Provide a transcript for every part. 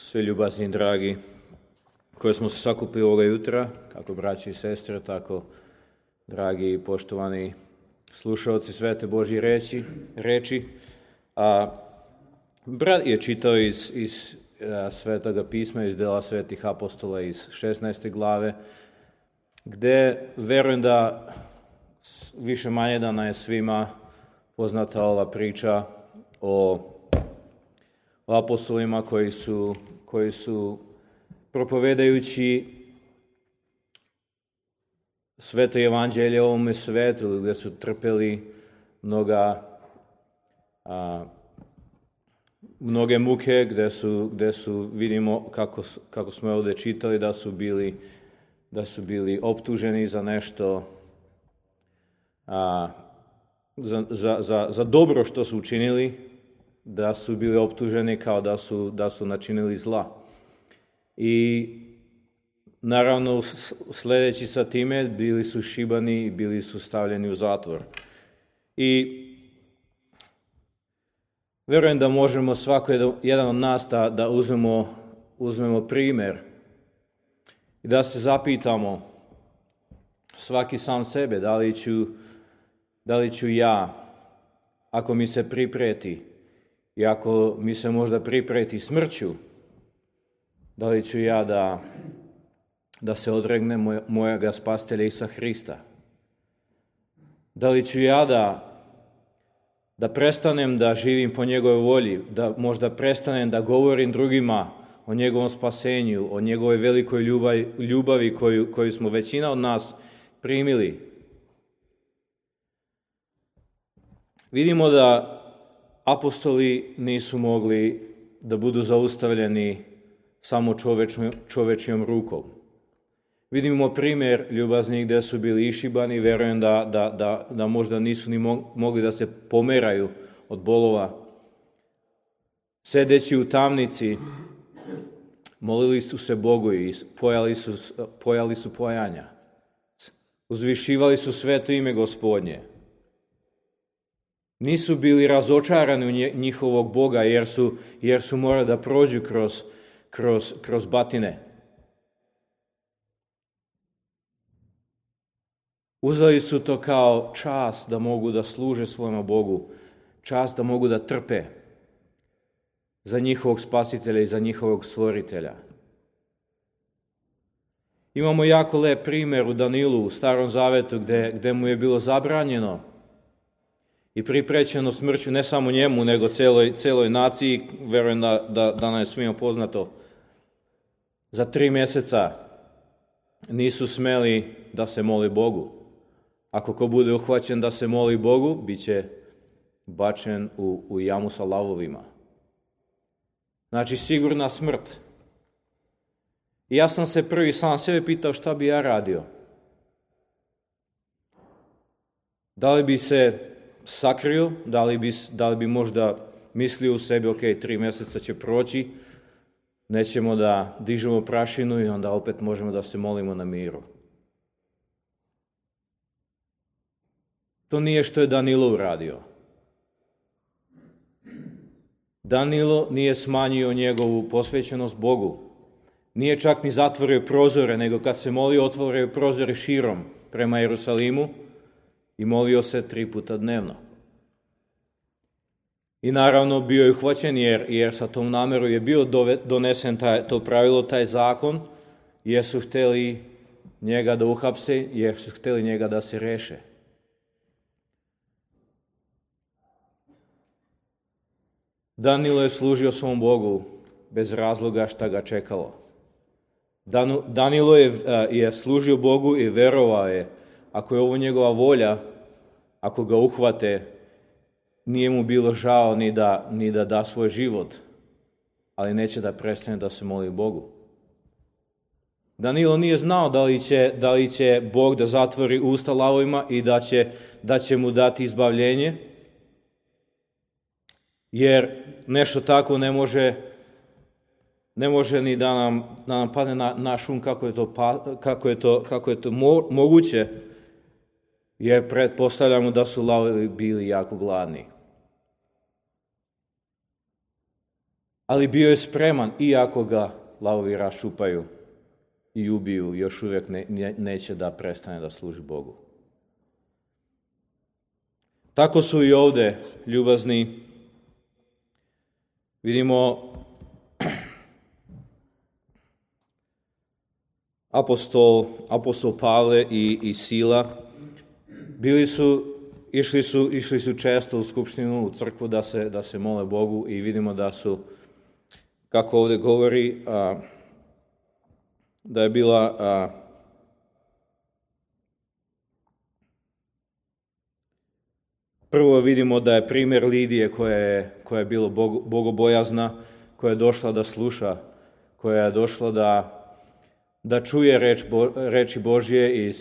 Sve ljubazni i dragi koji smo se sakupili ovoga jutra, kako braći i sestre, tako dragi i poštovani slušalci Svete Božje reči. Brat je čitao iz Svetoga pisma, iz dela Svetih apostola iz 16. glave, gde verujem da više manje da nam je svima poznata ova priča o apostolima koji su propovedajući sveto evanđelje ovome svetu, gde su trpeli mnoge muke, gde su vidimo kako smo ovdje čitali da su bili optuženi za nešto, za dobro što su učinili, da su bili optuženi kao da su načinili zla. I naravno sljedeći sa time bili su šibani i bili su stavljeni u zatvor. I vjerujem da možemo svako jedan od nas da uzmemo primjer i da se zapitamo svaki sam sebe, da li ću ja, ako mi se pripreti i ako mi se možda pripreti smrću, da li ću ja da se odregnem mojega spasitelja Isusa Hrista? Da li ću ja da prestanem da živim po njegovoj volji, da možda prestanem da govorim drugima o njegovom spasenju, o njegovoj velikoj ljubavi koju smo većina od nas primili? Vidimo da apostoli nisu mogli da budu zaustavljeni samo čovečijom rukom. Vidimo primjer ljubaznih gdje su bili išibani, vjerujem da možda nisu ni mogli da se pomeraju od bolova. Sedeći u tamnici, molili su se Bogu i pojali su pojanja. Uzvišivali su sveto ime Gospodnje. Nisu bili razočarani u njihovog Boga jer su morali da prođu kroz batine. Uzeli su to kao čast da mogu da služe svojom Bogu, čast da mogu da trpe za njihovog spasitelja i za njihovog stvoritelja. Imamo jako lep primjer u Danilu u Starom Zavetu gde mu je bilo zabranjeno i priprećeno smrću ne samo njemu, nego celoj naciji, verujem da nam je svima poznato. Za 3 mjeseca nisu smeli da se moli Bogu. Ako ko bude uhvaćen da se moli Bogu, bit će bačen u jamu sa lavovima. Znači, sigurna smrt. I ja sam se prvi sam sebe pitao šta bi ja radio. Da li bi se sakrio, da li bi možda mislio u sebi, ok, 3 mjeseca će proći, nećemo da dižemo prašinu i onda opet možemo da se molimo na miru. To nije što je Danilo uradio. Danilo nije smanjio njegovu posvećenost Bogu. Nije čak ni zatvorio prozore, nego kad se molio, otvorio prozore širom prema Jerusalimu i molio se 3 puta dnevno. I naravno bio je uhvaćen jer sa tom nameru je bio donesen to pravilo, taj zakon, jer su htjeli njega da uhapse, jer su htjeli njega da se reše. Danilo je služio svom Bogu bez razloga šta ga čekalo. Danilo je služio Bogu i verovao je, ako je ovo njegova volja, ako ga uhvate, nije mu bilo žao ni da da svoj život, ali neće da prestane da se moli Bogu. Danilo nije znao da li će Bog da zatvori usta lavovima i da će mu dati izbavljenje, jer nešto tako ne može ni da nam padne na šum kako je to moguće, jer pretpostavljamo da su lavovi bili jako gladni. ali bio je spreman, iako ga lavovi raščupaju i ubiju, još uvijek neće da prestane da služi Bogu. Tako su i ovdje ljubazni. Vidimo apostol Pavle i Sila išli su često u skupštinu, u crkvu da se mole Bogu i vidimo da su, kako ovdje govori, da je bila prvo vidimo da je primjer Lidije koja je bila bogobojazna, koja je došla da sluša, koja je došla da čuje reči Božje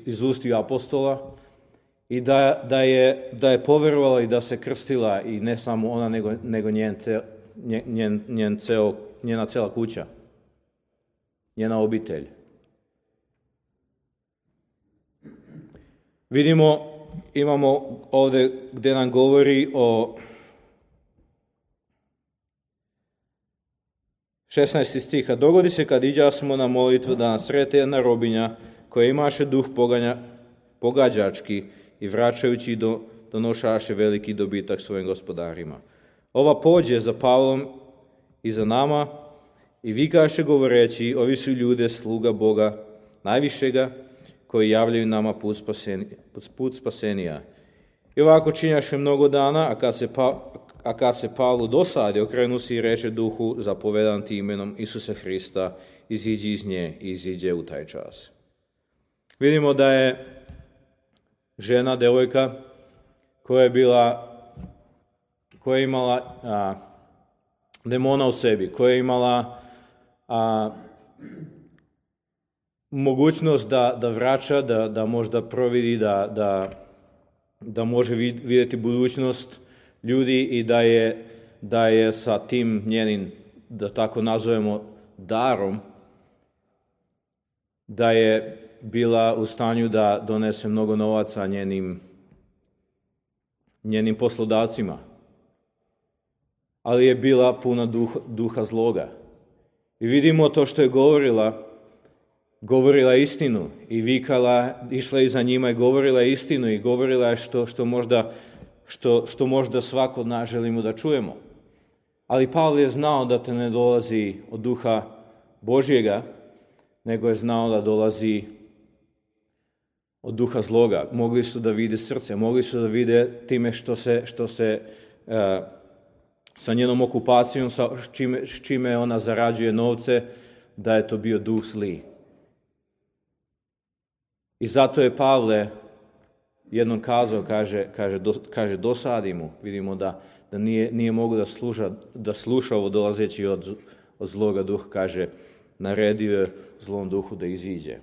iz ustiju apostola i da je povjerovala i da se krstila, i ne samo ona, nego njena cela kuća, njena obitelj. Imamo ovdje gdje nam govori o 16. stiha. Dogodi se kad iđasmo na molitvu da nas srete jedna robinja koja imaše duh pogađački i vraćajući donošaše veliki dobitak svojim gospodarima. Ova pođe za Pavlom i za nama i vikaše govoreći, ovi su ljude sluga Boga najvišega, koji javljaju nama put spasenija. I ovako činjaše mnogo dana, a kad se Pavlu dosadi, okrenu se i reče duhu, zapovedam ti imenom Isusa Hrista, iziđi iz nje i iziđe u taj čas. Vidimo da je žena, devojka, koja je imala demona u sebi, koja je imala mogućnost da vraća, da možda providi, da može vidjeti budućnost ljudi i da je sa tim njenim, da tako nazovemo, darom, da je bila u stanju da donese mnogo novaca njenim poslodavcima. Ali je bila puna duha zloga. I vidimo to što je govorila istinu i vikala, išla iza njima i govorila istinu i govorila što možda svako od nas želimo da čujemo. Ali Pavle je znao da te ne dolazi od duha Božjega, nego je znao da dolazi od duha zloga. Mogli su da vide srce, mogli su da vide time što se sa njenom okupacijom, s čime ona zarađuje novce, da je to bio duh zli. I zato je Pavle jednom kazao, kaže dosadi mu. Vidimo da nije mogao da sluša ovo dolazeći od zloga duha, kaže, naredio je zlom duhu da iziđe.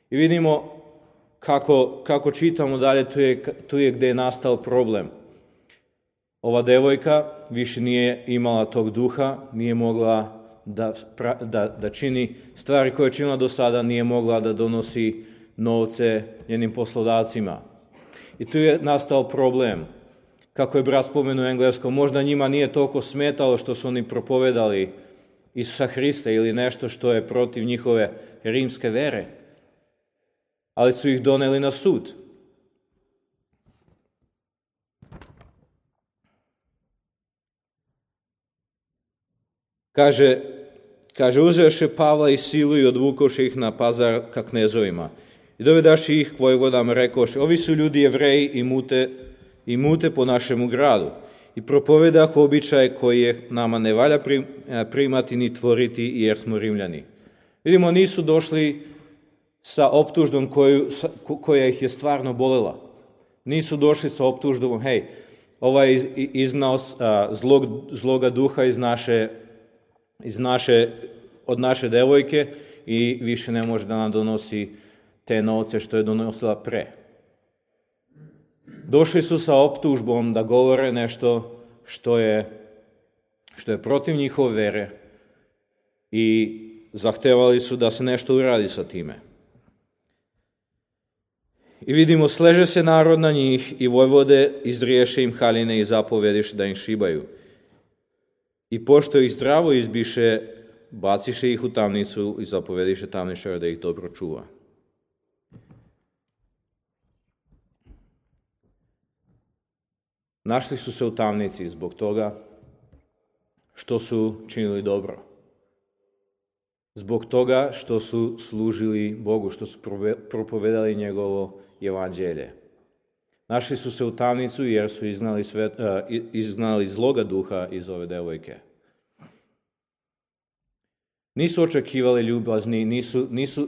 I vidimo kako čitamo dalje, tu je gdje je nastao problem. Ova devojka više nije imala tog duha, nije mogla da čini stvari koje je činila do sada, nije mogla da donosi novce njenim poslodavcima. I tu je nastao problem. Kako je brat spomenuo u engleskom, možda njima nije toliko smetalo što su oni propovedali Isusa Hrista ili nešto što je protiv njihove rimske vere, ali su ih doneli na sud. Kaže, uzevše Pavla i Silu i odvukoše ih na pazar ka knezovima. I dovedaši ih k vojvodama, rekoše, ovi su ljudi Jevreji i mute po našemu gradu. I propovedah običaj koji je nama ne valja primati ni tvoriti, jer smo Rimljani. Vidimo, nisu došli sa optužbom koja ih je stvarno bolela. Nisu došli sa optužbom, hej, ovaj je iznao zloga duha od naše devojke i više ne može da nam donosi te novce što je donosila pre. Došli su sa optužbom da govore nešto što je protiv njihove vere i zahtevali su da se nešto uradi sa time. I vidimo, sleže se narod na njih i vojvode izriješe im haljine i zapovediš da im šibaju. I pošto ih zdravo izbiše, baciše ih u tamnicu i zapovediše tamničara da ih dobro čuva. Našli su se u tamnici zbog toga što su činili dobro. Zbog toga što su služili Bogu, što su propovedali njegovo evanđelje. Našli su se u tamnicu jer su izgnali zloga duha iz ove devojke. Nisu očekivali ljubazni,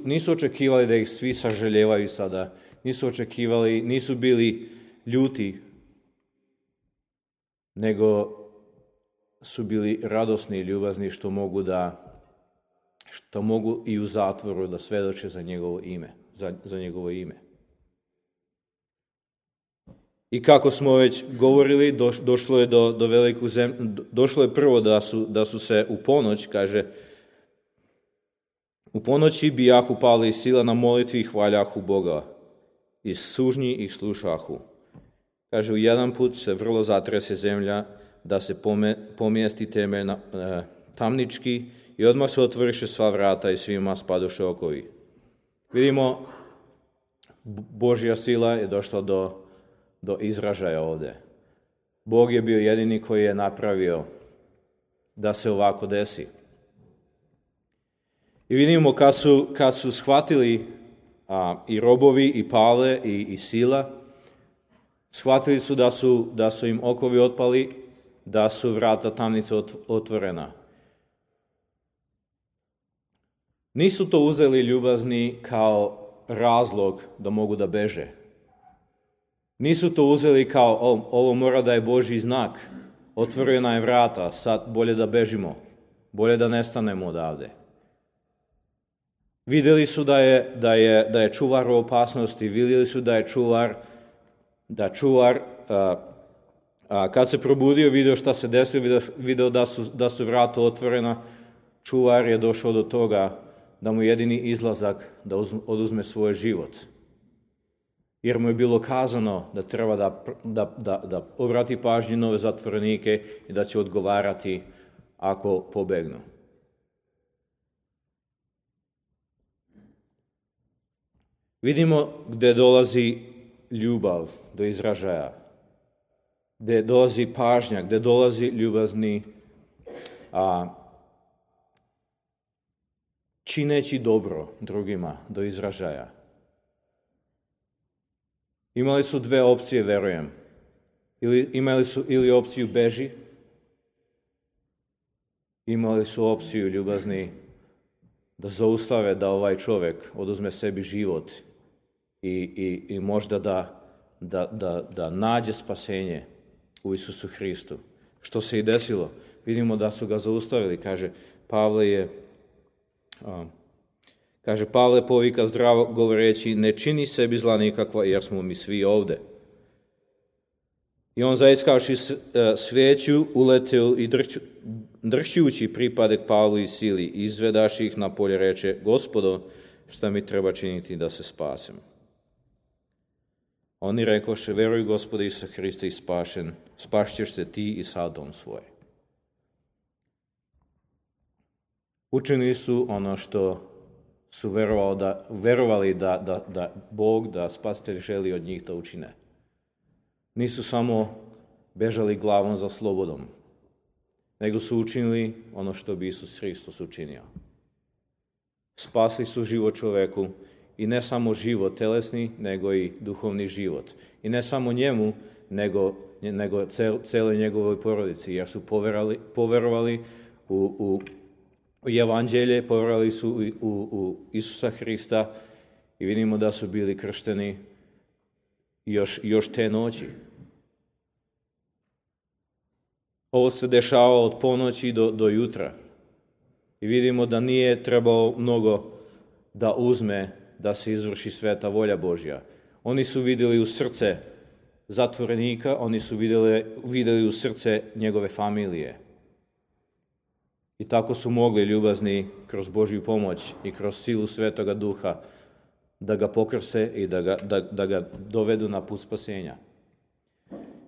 nisu očekivali da ih svi sažaljevaju sada. Nisu bili ljuti, nego su bili radosni i ljubazni što mogu i u zatvoru da svedoče za njegovo ime. I kako smo već govorili, došlo je do veliku zemlju, došlo je prvo da su se u ponoć, kaže, u ponoći bijahu Pavle i Sila na molitvi i hvaljahu Boga, i sužnji ih slušahu. Kaže, u jedan put se vrlo zatrese zemlja, da se pomjesti temelj tamnički i odmah se otvoriše sva vrata i svima spadoše okovi. Vidimo, Božja sila je došla do izražaja ovdje. Bog je bio jedini koji je napravio da se ovako desi. I vidimo kad su shvatili i robovi i Pavle i Sila, shvatili su da su im okovi otpali, da su vrata tamnice otvorena. Nisu to uzeli ljubazni kao razlog da mogu da beže. Nisu to uzeli kao ovo mora da je Božji znak, otvorena je vrata, sad bolje da bežimo, bolje da nestanemo odavde. Vidjeli su da je čuvar u opasnosti, vidjeli su da je čuvar kad se probudio, vidio šta se desilo, vidio da su vrata otvorena, čuvar je došao do toga da mu jedini izlazak da oduzme svoj život. Jer mu je bilo kazano da treba da obrati pažnju nove zatvorenike i da će odgovarati ako pobegnu. Vidimo gdje dolazi ljubav do izražaja, gdje dolazi pažnja, gdje dolazi ljubazni čineći dobro drugima do izražaja. Imali su dve opcije, verujem. Imali su ili opciju beži, imali su opciju ljubazni da zaustave da ovaj čovjek oduzme sebi život i možda da nađe spasenje u Isusu Hristu. Što se i desilo. Vidimo da su ga zaustavili. Pavle povika zdravo govoreći, ne čini sebi zla nikakva jer smo mi svi ovde. I on zaiskavši sveću uleteo i dršćući pripadek Pavlu i Sili, izvedaši ih na polje, reče, Gospodo, šta mi treba činiti da se spasem? Oni rekoše, veruj Gospoda Isusa Hrista i spašćeš se ti i sad dom svoj. Učinili su ono što su verovali da Bog, da Spasitelj želi od njih da učine. Nisu samo bežali glavom za slobodom, nego su učinili ono što bi Isus Hristos učinio. Spasli su život čoveku i ne samo život telesni, nego i duhovni život. I ne samo njemu, nego celoj njegovoj porodici, jer su poverovali u evanđelje, povjerovali su u Isusa Hrista i vidimo da su bili kršteni još te noći. Ovo se dešava od ponoći do jutra. I vidimo da nije trebao mnogo da uzme da se izvrši sveta volja Božja. Oni su vidjeli u srce zatvorenika, oni su vidjeli u srce njegove familije. I tako su mogli ljubazni kroz Božju pomoć i kroz silu Svetoga Duha da ga pokrste i da ga dovedu na put spasenja.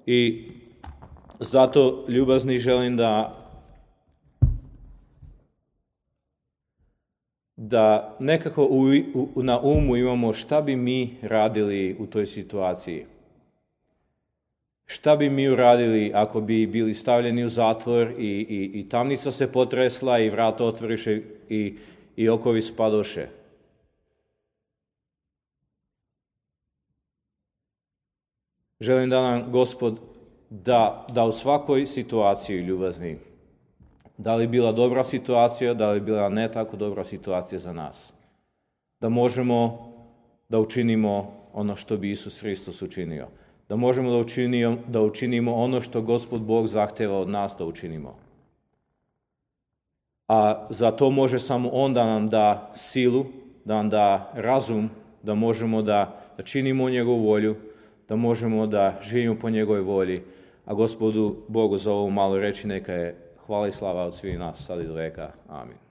I zato ljubazni želim da nekako na umu imamo šta bi mi radili u toj situaciji. Šta bi mi uradili ako bi bili stavljeni u zatvor i tamnica se potresla i vrata otvoriše i okovi spadoše. Želim da nam Gospod da u svakoj situaciji ljubazni, da li bila dobra situacija, da li bila ne tako dobra situacija za nas, da možemo da učinimo ono što bi Isus Hristos učinio, da možemo da učinimo ono što Gospod Bog zahteva od nas da učinimo. A za to može samo On da nam da silu, da nam da razum, da možemo da činimo njegovu volju, da možemo da živimo po njegovoj volji, a Gospodu Bogu za ovu malu reći neka je hvala i slava od svih nas, sad i do veka. Amin.